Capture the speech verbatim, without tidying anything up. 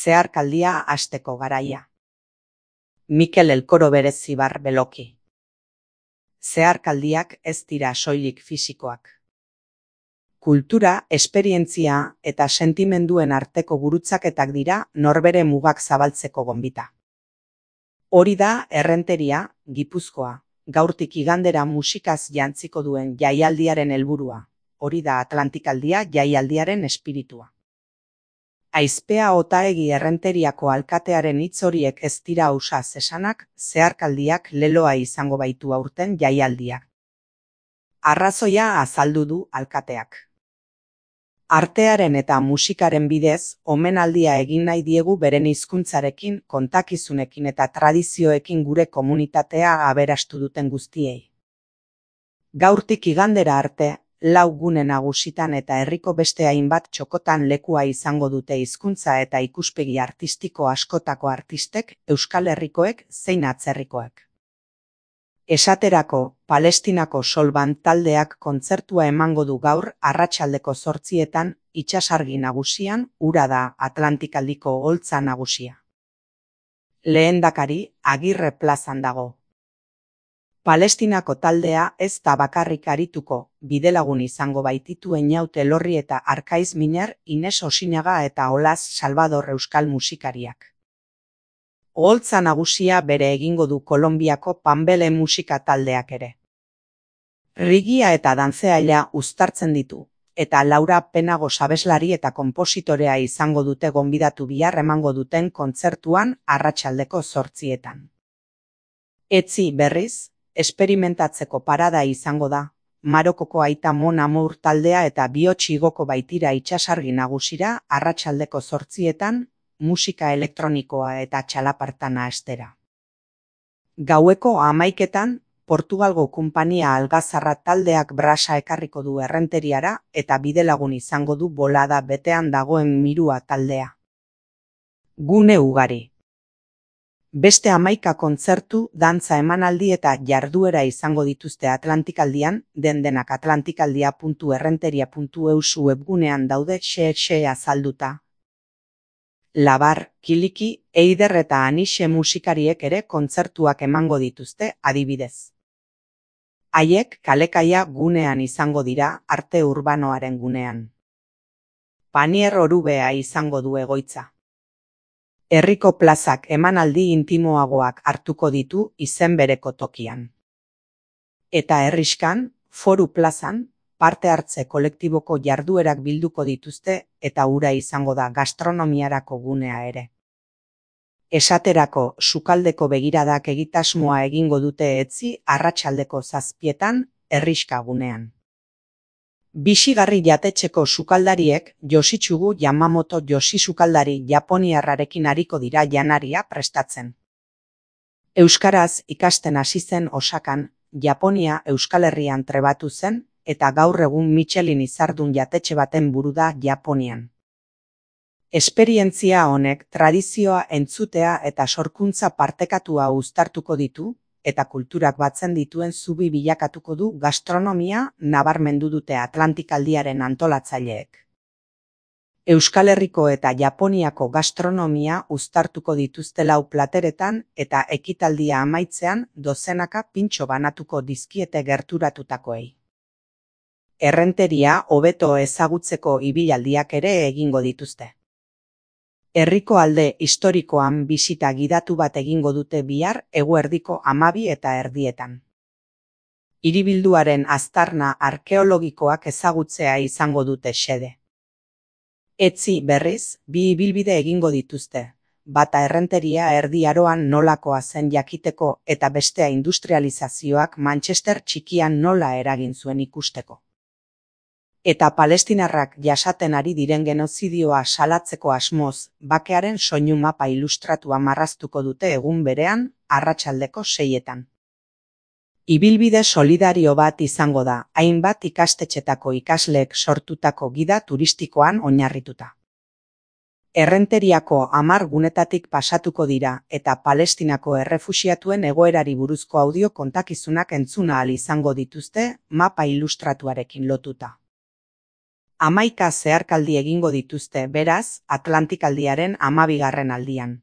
Zeharkaldia hasteko garaia. Mikel Elkoro Berezibar Beloki. Zeharkaldiak ez dira soilik fisikoak. Kultura, esperientzia eta sentimenduen arteko gurutzaketak dira norbere mugak zabaltzeko gonbita. Hori da Errenteria, Gipuzkoa, gaurtik igandera musikaz jantziko duen jaialdiaren helburua. Hori da Atlantikaldia jaialdiaren espiritua. Aizpea Otaegi Errenteriako alkatearen hitz horiek ez dira ausaz esanak, zeharkaldiak leloa izango baitu aurten jaialdiak. Arrazoia azaldu du alkateak. Artearen eta musikaren bidez, omenaldia egin nahi diegu beren hizkuntzarekin, kontakizunekin eta tradizioekin gure komunitatea aberastu duten guztiei. Gaurtik igandera arte, lau gune nagusitan eta herriko beste hainbat txokotan lekua izango dute hizkuntza eta ikuspegi artistiko askotako artistek, Euskal Herrikoek zein atzerrikoek. Esaterako, Palestinako Solban taldeak kontzertua emango du gaur arratsaldeko zortzietan, itsasargi nagusian, ura da Atlantikaldiko oholtza nagusia. Lehendakari, Agirre plazan dago. Palestinako taldea ez da bakarrik arituko, bidelagun izango baititu Einaut Elorri eta Arkaiz Minar, Ines Osinaga eta Olas Salvador euskal musikariak. Oholtza nagusia bere egingo du Kolonbiako Panbele musika taldeak ere. Rigia eta dantzeaila uztartzen ditu, eta Laura Penago abeslari eta konpositorea izango dute gonbidatu bihar emango duten kontzertuan arratsaldeko zortzietan. Etzi berriz, esperimentatzeko parada izango da, Marokoko Aita Mon Amour taldea eta Bihotz igoko baitira itsasargi nagusira arratsaldeko zortzietan, musika elektronikoa eta txalapartana estera. Gaueko hamaiketan, Portugalgo Konpainia Algazarra taldeak brasa ekarriko du Errenteriara eta bidelagun izango du Bolada betean dagoen Mirua taldea. Gune ugari. Beste hamaika kontzertu, dantza emanaldi eta jarduera izango dituzte Atlantikaldian, den-denak atlantikaldia puntu errenteria puntu eus webgunean daude xe-xe azalduta. Labar, Kiliki, Eider eta Anixe musikariek ere kontzertuak emango dituzte, adibidez. Haiek kalekaia gunean izango dira, arte urbanoaren gunean. Panier Orubea izango du egoitza. Herriko plazak emanaldi intimoagoak hartuko ditu izen bereko tokian. Eta herriskan, Foru plazan, parte hartze kolektiboko jarduerak bilduko dituzte eta hura izango da gastronomiarako gunea ere. Esaterako, sukaldeko begiradak egitasmoa egingo dute etzi arratsaldeko zazpietan, herriska gunean. Bixigarri jatetxeko sukaldariek Yoshitsugu Yamamoto Yoshi sukaldari japoniarrarekin ariko dira janaria prestatzen. Euskaraz ikasten hasi zen Osakan, Japonia Euskal Herrian trebatu zen eta gaur egun Michelin izardun jatetxe baten buru da Japonian. Esperientzia honek tradizioa entzutea eta sorkuntza partekatua uztartuko ditu, eta kulturak batzen dituen zubi bilakatuko du gastronomia nabarmendu dute Atlantikaldiaren antolatzaileek. Euskal Herriko eta Japoniako gastronomia uztartuko dituzte lau plateretan eta ekitaldia amaitzean dozenaka pintxo banatuko dizkiete gerturatutakoei. Errenteria hobeto ezagutzeko ibilaldiak ere egingo dituzte. Herriko alde historikoan bisita gidatu bat egingo dute bihar eguerdiko hamabi eta erdietan. Hiribilduaren aztarna arkeologikoak ezagutzea izango dute xede. Etzi berriz, bi ibilbide egingo dituzte, bata Errenteria Erdi Aroan nolakoa zen jakiteko eta bestea industrializazioak Manchester txikian nola eragin zuen ikusteko. Eta palestinarrak jasaten ari diren genozidioa salatzeko asmoz, bakearen soinu mapa ilustratua marraztuko dute egun berean, arratsaldeko seietan. Ibilbide solidario bat izango da, hainbat ikastetxetako ikasleek sortutako gida turistikoan oinarrituta. Errenteriako hamar gunetatik pasatuko dira eta Palestinako errefuxiatuen egoerari buruzko audio kontakizunak entzun ahal izango dituzte mapa ilustratuarekin lotuta. Hamaika zeharkaldi egingo dituzte, beraz, Atlantikaldiaren hamabigarren aldian.